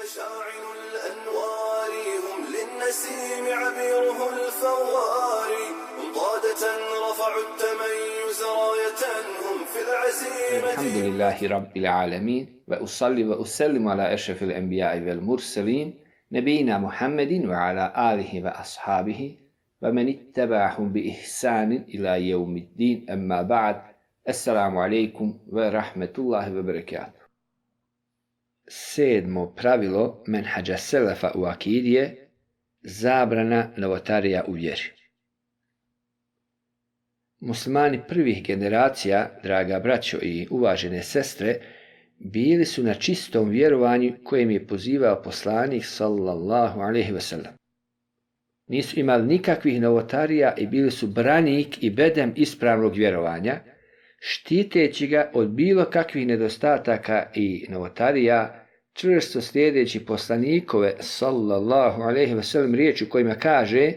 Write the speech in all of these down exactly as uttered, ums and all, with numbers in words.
مشاعل الأنوار هم للنسيم عبيره الفوار هم قادة رفعوا التميز راية هم في العزيمة. الحمد لله رب العالمين وأصلي وأسلم على أشرف الأنبياء والمرسلين نبينا محمد وعلى آله وأصحابه ومن اتبعهم بإحسان إلى يوم الدين أما بعد السلام عليكم ورحمة الله وبركاته. Sedmo pravilo menhađa selefa u akidi je zabrana novotarija u vjeri. Muslimani prvih generacija, draga braćo i uvažene sestre, bili su na čistom vjerovanju kojem je pozivao poslanik sallallahu alejhi ve sellem. Nisu imali nikakvih novotarija i bili su branik i bedem ispravnog vjerovanja, štiteći ga od bilo kakvih nedostataka i novotarija, čvrsto slijedeći poslanikove sallallahu alejhi ve sellem riječi u kojima kaže: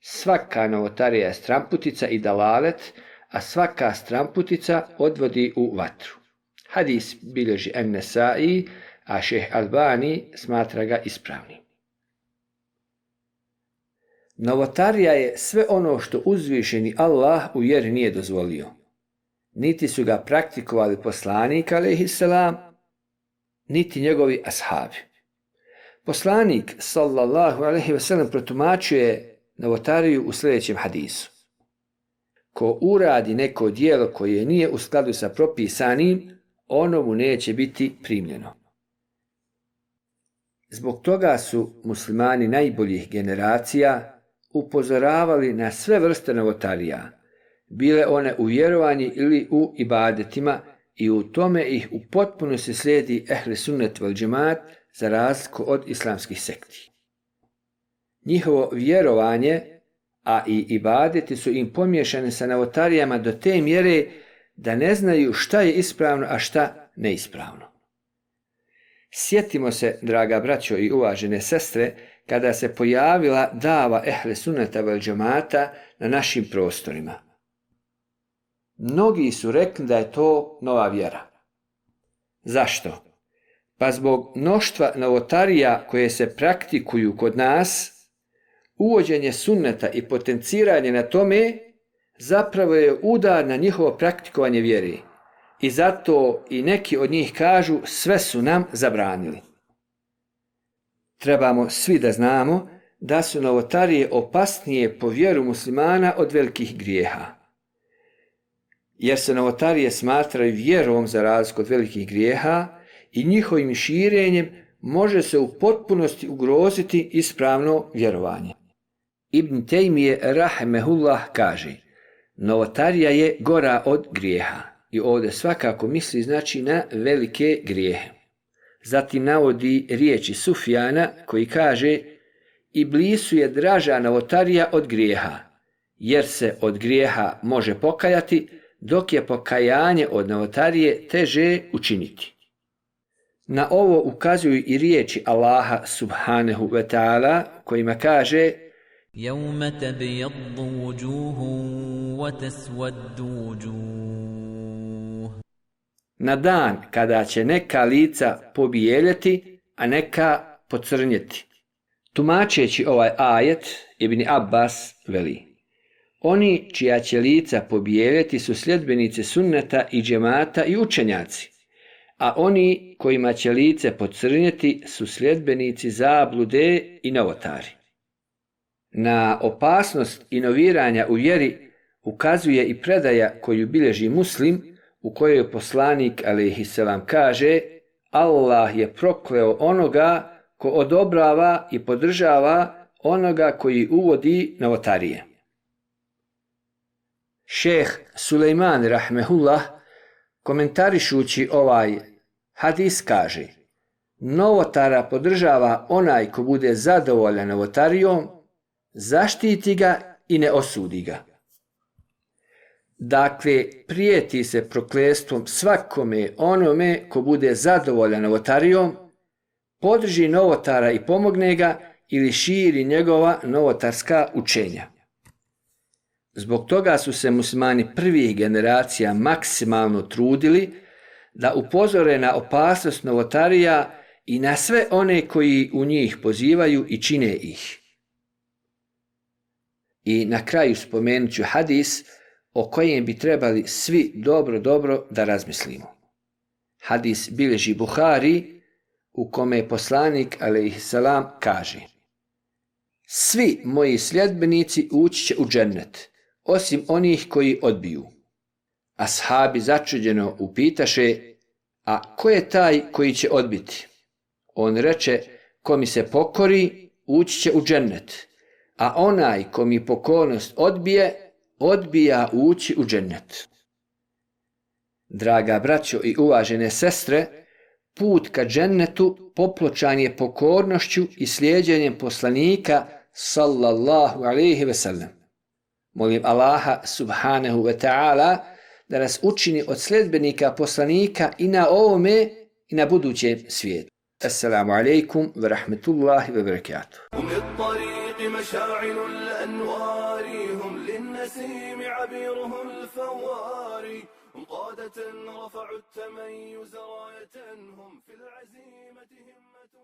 svaka novotarija je stramputica i dalalet, a svaka stramputica odvodi u vatru. Hadis bilježi En-Nesai, a šejh Albani smatra ga ispravnim. Novotarija je sve ono što uzvišeni Allah u vjeri nije dozvolio. Niti su ga praktikovali poslanik alejhisselam, niti njegovi ashabi. Poslanik sallallahu alejhi ve sellem protumačuje novotariju u sljedećem hadisu: ko uradi neko djelo koje nije u skladu sa propisanim, ono mu neće biti primljeno. Zbog toga su muslimani najboljih generacija upozoravali na sve vrste novotarija, bile one u vjerovanju ili u ibadetima, i u tome ih u potpunosti slijedi ehli sunnet vel džemaat za razliku od islamskih sekti. Njihovo vjerovanje, a i ibadeti su im pomiješane sa novotarijama do te mjere da ne znaju šta je ispravno, a šta neispravno. Sjetimo se, draga braćo i uvažene sestre, kada se pojavila dava ehli sunneta vel džemaata na našim prostorima. Mnogi su rekli da je to nova vjera. Zašto? Pa zbog mnoštva novotarija koje se praktikuju kod nas, uvođenje sunneta i potenciranje na tome zapravo je udar na njihovo praktikovanje vjere. I zato i neki od njih kažu sve su nam zabranili. Trebamo svi da znamo da su novotarije opasnije po vjeru muslimana od velikih grijeha. Jer se novotarije smatraju vjerom za razliku od velikih grijeha i njihovim širenjem može se u potpunosti ugroziti ispravno vjerovanje. Ibn Tejmije rahimehullah kaže: novotarija je gora od grijeha, i ovdje svakako misli znači na velike grijehe. Zatim navodi riječi Sufjana koji kaže: Iblisu je draža novotarija od grijeha, jer se od grijeha može pokajati, dok je pokajanje od novotarije teže učiniti. Na ovo ukazuju i riječi Allaha subhanahu wa ta'ala kojima kaže: يَوْمَ تَبْيَضُّ وُجُوهٌ وَتَسْوَدُّ وُجُوهٌ. Na dan kada će neka lica pobijeljeti, a neka pocrnjeti. Tumačeći ovaj ajet, Ibn Abbas veli: oni čija će lica pobijeljeti su sljedbenici sunneta i džemata i učenjaci, a oni kojima će lice pocrnjeti su sljedbenici zablude i novotari. Na opasnost inoviranja u vjeri ukazuje i predaja koju bilježi Muslim, u kojoj poslanik alejhisselam kaže: Allah je prokleo onoga ko odobrava i podržava onoga koji uvodi novotarije. Šejh Sulejman rahmehullah komentarišući ovaj hadis kaže: novotara podržava onaj ko bude zadovoljan novotarijom, zaštiti ga i ne osudi ga. Dakle, prijeti se proklestvom svakome onome ko bude zadovoljan novotarijom, podrži novotara i pomogne ga ili širi njegova novotarska učenja. Zbog toga su se muslimani prvih generacija maksimalno trudili da upozore na opasnost novotarija i na sve one koji u njih pozivaju i čine ih. I na kraju spomenut ću hadis o kojem bi trebali svi dobro, dobro da razmislimo. Hadis bilježi Buhari, u kome poslanik alejhiselam kaže: svi moji sljedbenici ući će u džennet, osim onih koji odbiju. Ashabi začuđeno upitaše: a ko je taj koji će odbiti? On reče: ko mi se pokori, ući će u džennet, a onaj ko mi pokornost odbije, odbija ući u džennet. Draga braćo i uvažene sestre, put ka džennetu popločan je pokornošću i slijeđenjem poslanika sallallahu alejhi ve sellem. Molim Allaha subhanahu wa ta'ala da nas učini od sljedbenika poslanika i na ovome i na budućem svijetu. Assalamu alaikum wa rahmetullahi wa barakatuh. مشاعل الأنوار هم للنسيم عبيره الفوار هم قادة رفعوا التميز راية هم في العزيمة همة